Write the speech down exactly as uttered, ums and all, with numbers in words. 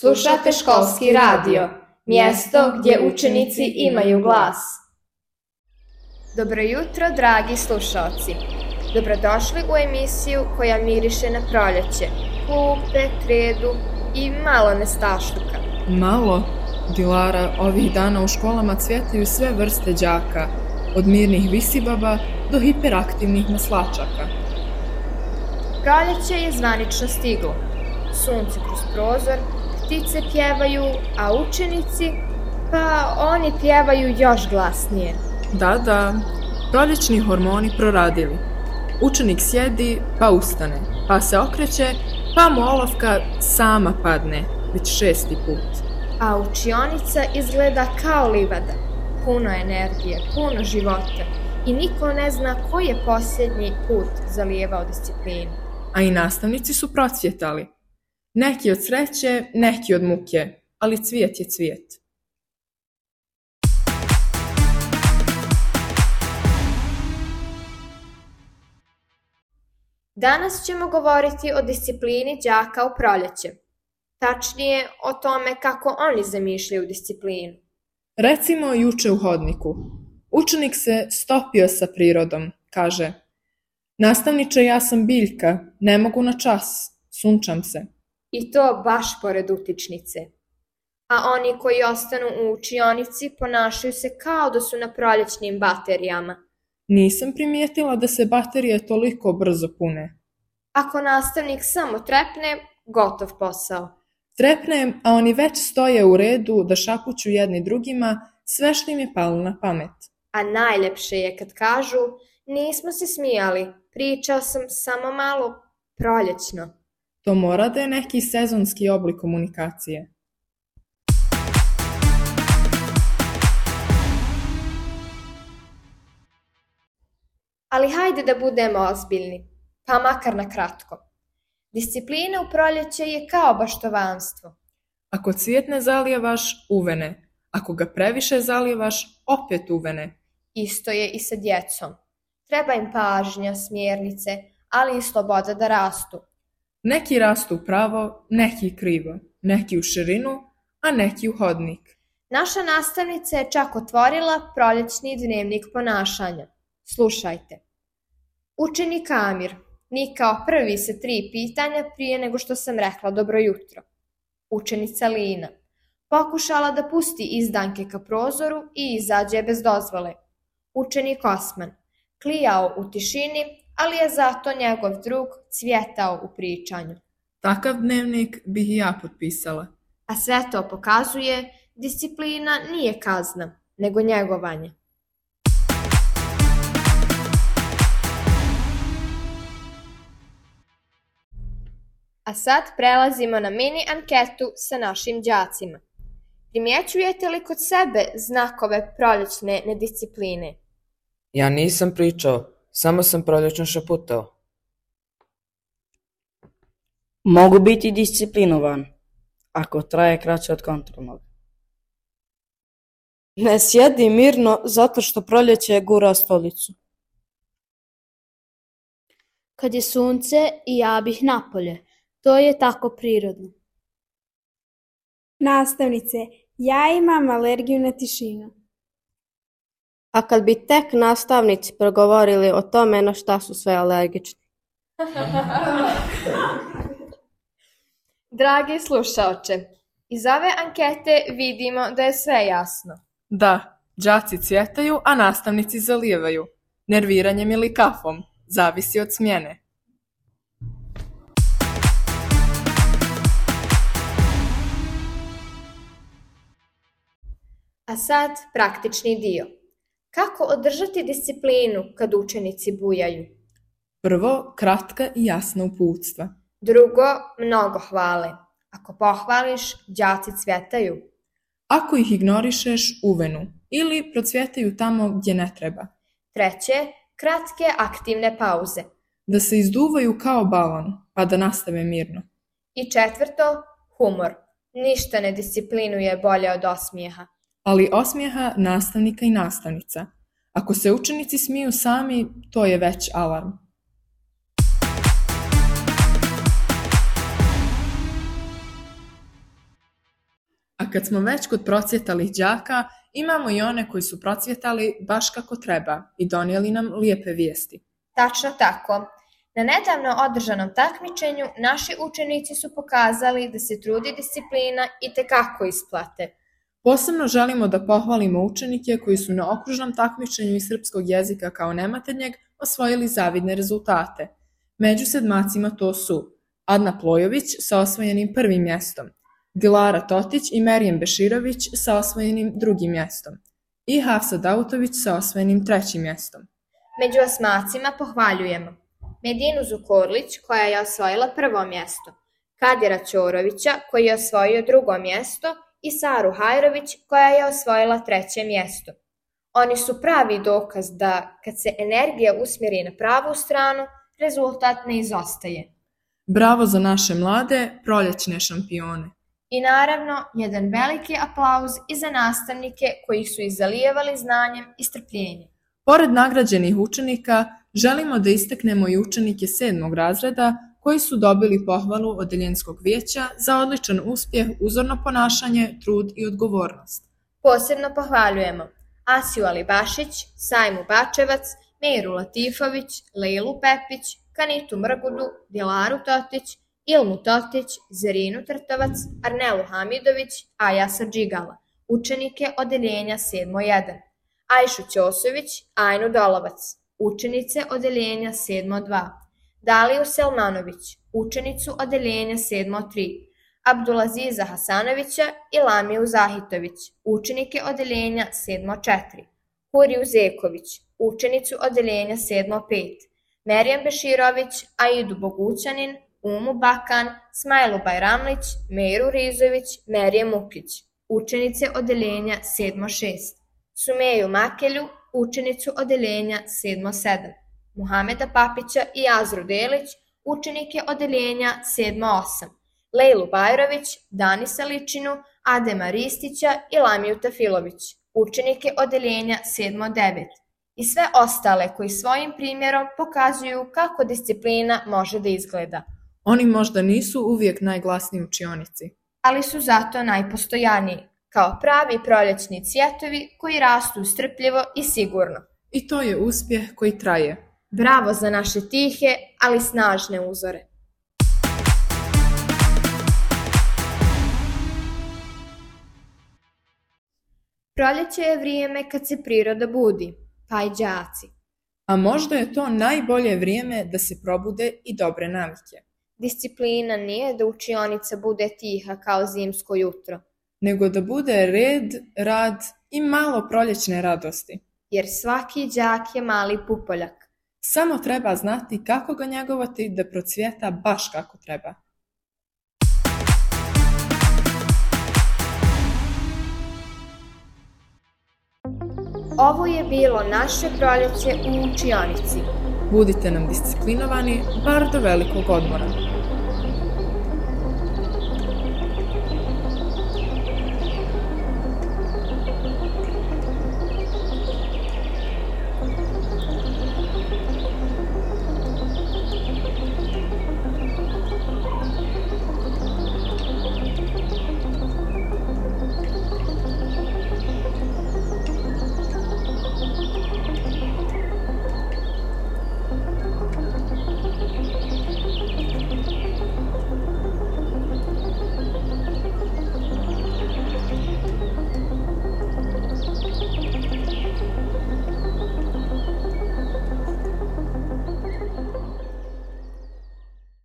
Slušate školski radio, mjesto gdje učenici imaju glas. Dobro jutro, dragi slušalci. Dobrodošli u emisiju koja miriše na proljeće, klupe, kredu i malo nestašluka. Malo? Dilara, ovih dana u školama cvjetaju sve vrste đaka, od mirnih visibaba do hiperaktivnih maslačaka. Proljeće je zvanično stiglo. Sunce kroz prozor, ptice pjevaju, a učenici, pa oni pjevaju još glasnije. Da, da, proljećni hormoni proradili. Učenik sjedi, pa ustane, pa se okreće, pa mu olovka sama padne, već šesti put. A učionica izgleda kao livada, puno energije, puno života i niko ne zna koji je posljednji put zalijevao disciplinu. A i nastavnici su procvjetali. Neki od sreće, neki od muke, ali cvijet je cvijet. Danas ćemo govoriti o disciplini đaka u proljeće. Tačnije o tome kako oni zamišljaju disciplinu. Recimo juče u hodniku. Učenik se stopio sa prirodom, kaže: nastavniče, ja sam biljka, ne mogu na čas, sunčam se. I to baš pored utičnice. A oni koji ostanu u učionici ponašaju se kao da su na proljećnim baterijama. Nisam primijetila da se baterije toliko brzo pune. Ako nastavnik samo trepne, gotov posao. Trepne, a oni već stoje u redu da šapuću jedni drugima sve što im je palo na pamet. A najljepše je kad kažu: nismo se smijali, pričao sam samo malo proljećno. To mora da je neki sezonski oblik komunikacije. Ali hajde da budemo ozbiljni, pa makar na kratko. Disciplina u proljeće je kao baštovanstvo. Ako cvijet ne zalijevaš, uvene. Ako ga previše zalijevaš, opet uvene. Isto je i sa djecom. Treba im pažnja, smjernice, ali i sloboda da rastu. Neki rastu pravo, neki krivo, neki u širinu, a neki u hodnik. Naša nastavnica je čak otvorila proljećni dnevnik ponašanja. Slušajte. Učenik Amir nikao prvi sa tri pitanja prije nego što sam rekla dobro jutro. Učenica Lina pokušala da pusti izdanke ka prozoru i izađe bez dozvole. Učenik Osman klijao u tišini, ali je zato njegov drug cvjetao u pričanju. Takav dnevnik bih i ja potpisala. A sve to pokazuje: disciplina nije kazna, nego njegovanje. A sad prelazimo na mini anketu sa našim đacima. Primjećujete li kod sebe znakove proljećne nediscipline? Ja nisam pričao, samo sam prolječno šaputao. Mogu biti disciplinovan, ako traje kraće od kontrolnog. Ne sjedi mirno zato što proljeće gura stolicu. Kad je sunce i ja bih napolje. To je tako prirodno. Nastavnice, ja imam alergiju na tišinu. A kad bi tek nastavnici progovorili o tome na šta su sve alergični. Dragi slušaoče, iz ove ankete vidimo da je sve jasno. Da, đaci cvjetaju, a nastavnici zalijevaju. Nerviranjem ili kafom, zavisi od smjene. A sad praktični dio. Kako održati disciplinu kad učenici bujaju? Prvo, kratka i jasna uputstva. Drugo, mnogo hvale. Ako pohvališ, đaci cvjetaju. Ako ih ignorišeš, uvenu ili procvjetaju tamo gdje ne treba. Treće, kratke aktivne pauze. Da se izduvaju kao balon, pa da nastave mirno. I četvrto, humor. Ništa ne disciplinuje bolje od osmijeha. Ali osmijeha nastavnika i nastavnica. Ako se učenici smiju sami, to je već alarm. A kad smo već kod procvjetalih đaka, imamo i one koji su procvjetali baš kako treba i donijeli nam lijepe vijesti. Tačno tako. Na nedavno održanom takmičenju naši učenici su pokazali da se trud i disciplina itekako isplate. Posebno želimo da pohvalimo učenike koji su na okružnom takmičenju iz srpskog jezika kao nematernjeg osvojili zavidne rezultate. Među sedmacima to su Adna Plojović sa osvojenim prvim mjestom, Dilara Totić i Merijem Beširović sa osvojenim drugim mjestom i Hafsa Dautović sa osvojenim trećim mjestom. Među osmacima pohvaljujemo Medinu Zukorlić koja je osvojila prvo mjesto, Kadira Ćorovića koji je osvojio drugo mjesto i Saru Hajrović koja je osvojila treće mjesto. Oni su pravi dokaz da kad se energija usmjeri na pravu stranu, rezultat ne izostaje. Bravo za naše mlade proljećne šampione. I naravno, jedan veliki aplauz i za nastavnike koji su ih zalijevali znanjem i strpljenjem. Pored nagrađenih učenika, želimo da istaknemo i učenike sedmog razreda koji su dobili pohvalu Odeljenskog vijeća za odličan uspjeh, uzorno ponašanje, trud i odgovornost. Posebno pohvaljujemo Asiju Alibašić, Sajmu Bačevac, Meiru Latifović, Lejlu Pepić, Kanitu Mrgudu, Dilaru Totić, Ilmu Totić, Zerinu Trtovac, Arnelu Hamidović, Ajasa Džigala, učenike Odeljenja sedmo jedan, Ajšu Ćosović, Ajnu Dolovac, učenice Odeljenja sedmo dva, Daliju Selmanović, učenicu Odeljenja sedmo tri, Abdulaziza Hasanovića i Lamiju Zahitović, učenike Odeljenja sedmo četiri, Huriju Zeković, učenicu Odeljenja sedmo pet, Merijem Beširović, Aidu Bogućanin, Umu Bakan, Smajlu Bajramlić, Meiru Rizović, Merije Mukić, učenice Odeljenja sedmo šest, Sumeju Makelju, učenicu Odeljenja sedmo sedam, Muhameda Papića i Azru Delić, učenike Odeljenja sedmo osam, Lejlu Bajrović, Danisa Ličinu, Adema Ristića i Lamiju Tafilović, učenike Odeljenja sedmo devet i sve ostale koji svojim primjerom pokazuju kako disciplina može da izgleda. Oni možda nisu uvijek najglasniji u učionici, ali su zato najpostojaniji, kao pravi proljećni cvjetovi koji rastu strpljivo i sigurno. I to je uspjeh koji traje. Bravo za naše tihe, ali snažne uzore. Proljeće je vrijeme kad se priroda budi, pa i đaci. A možda je to najbolje vrijeme da se probude i dobre navike. Disciplina nije da učionica bude tiha kao zimsko jutro, nego da bude red, rad i malo proljećne radosti. Jer svaki đak je mali pupoljak. Samo treba znati kako ga njegovati da procvjeta baš kako treba. Ovo je bilo naše proljeće u učionici. Budite nam disciplinovani bar do velikog odmora.